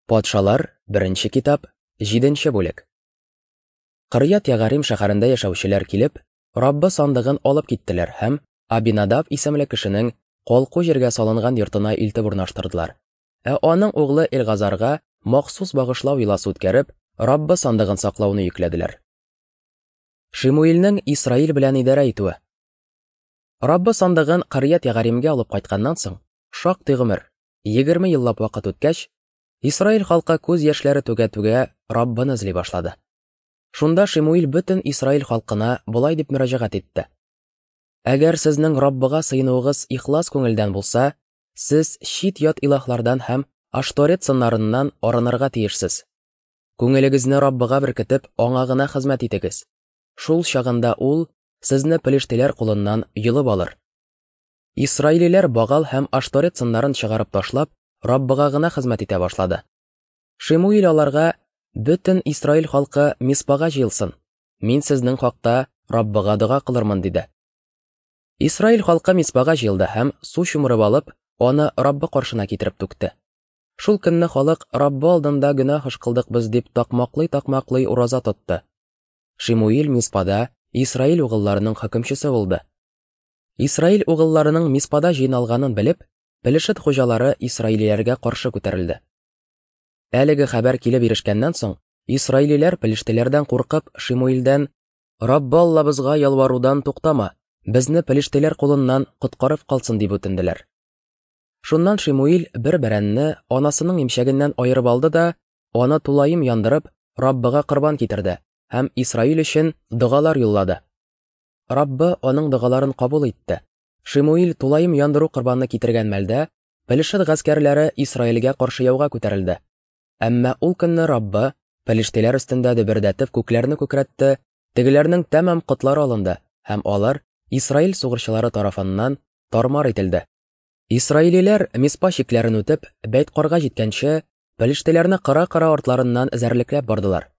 Патшалар, беренче китап, җиденче бүлек. Кырьят Ягарим шәһәрендә яшәүчеләр килеп, Раббы сандыгын алып киттеләр һәм Абинадаб исемле кешенең калку җиргә салынган йортына илтеп урнаштырдылар. Ә аның углы Элгазарга махсус багышлау йоласы үткәреп, Раббы сандыгын саклауны йөкләделәр. Шимуилнең Исраил белән идарә итүе. Раббы сандыгын Кырьят Ягаримгә алып кайтканнан соң, шактый гомер, 20 еллап вакыт үткәч, Исраил халкы күз яшьләре түгә-түгә Раббыны эзли башлады. Шунда Шимуил бөтен Исраил халкына болай дип мөрәҗәгать итте. Әгәр сезнең Раббыга сыенуыгыз ихлас күңелдән булса, сез чит-ят илаһлардан һәм Ашторет сыннарыннан арынырга тиешсез. Күңелегезне Раббыга беркетеп, аңа гына хезмәт итегез. Шул чагында ул сезне пелештиләр кулыннан йолып алыр. Исраилиләр Багал һәм Ашторет сыннарын чыгарып ташлап, Раббыга гына хезмәт итә башлады. Шимуил аларга: "Бөтен Исраил халкы Миспага җыелсын. Мин сезнең хакта Раббыга дога кылырмын", диде. Исраил халкы Миспага җыелды һәм су чумырып алып, аны Раббы каршына китереп түкте. Шул көнне халык Раббы алдында гөнаһ эш кылдык без дип такмаклый-такмаклый ураза тотты. Шимуил Миспада Исраил угылларының хөкемчесе булды. Исраил угылларының Миспада җыйналганын белеп, Пелешет хуҗалары исраилиләргә каршы күтәрелде. Әлеге хәбәр килеп ирешкәннән соң, исраилиләр пелештеләрдән куркып, Шимуилдән: "Раббы Аллабызга ялварудан туктама, безне пелештеләр кулыннан коткарып калсын", дип үтенделәр. Шуннан Шимуил бер бәрәнне анасының имчәгеннән аерып алды да, аны тулаем яндырып, Раббыга корбан китерде һәм Исраил өчен догалар юллады. Раббы аның догаларын кабул итте. Шимуил тулаем яндыру корбаны китергән мәлдә, Пелешет гаскәрләре Исраилгә каршы яуга күтәрелде. Әмма ул көнне Раббы пелештиләр өстендә дөбердәтеп күкләрне күкрәтте, тегеләрнең тәмам котлары алынды, һәм алар Исраил сугышчылары тарафыннан тармар ителде. Исраилиләр Миспа чикләрен үтеп, Бәйткарга җиткәнче, пелештиләрне кыра-кыра артларыннан эзәрлекләп бардылар.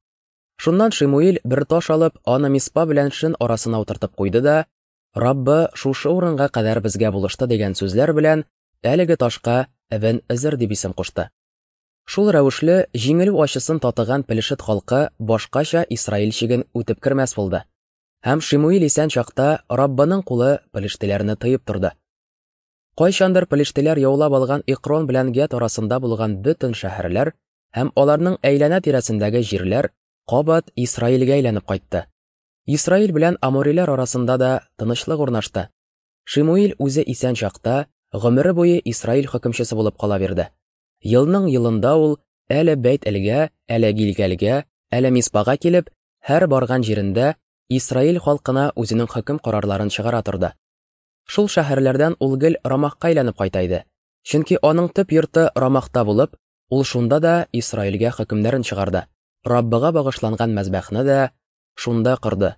Шуннан Шимуил бер таш алып, аны Миспа белән Шен арасына утыртып куйды да, Раббы шушы урынга кадәр безгә булышты дигән сүзләр белән әлеге ташка Эвен Эзер дип исем кушты. Шул рәвешле җиңелү ачысын татыган Пелешет халкы башкача Исраил чиген үтеп кермәс булды. Һәм Шимуил исән чакта Раббының кулы пелештеләрне тыеп торды. Кайчандыр пелештеләр яулап алган Икрон белән Гет арасында булган бөтен шәһәрләр һәм аларның әйләнә-тирәсендәге җирләр кабат Исраилгә әйләнеп кайтты. Исраил белән амориләр арасында да тынычлык урнашты. Шимуил үзе исән чакта гомере буе Исраил хөкемчесе булып кала бирде. Елның елында ул әле Бәйт-Элгә, әле Гилгәлгә, әле Миспага килеп, һәр барган җирендә Исраил халкына үзенең хөкем карарларын чыгара торды. Шул шәһәрләрдән ул гел Рамахка әйләнеп кайта иде. Чөнки аның төп йорты Рамахта булып, ул шунда да Исраилгә хөкемнәрен чыгарды. Раббыга багышланган мәзбәхне дә шунда корды.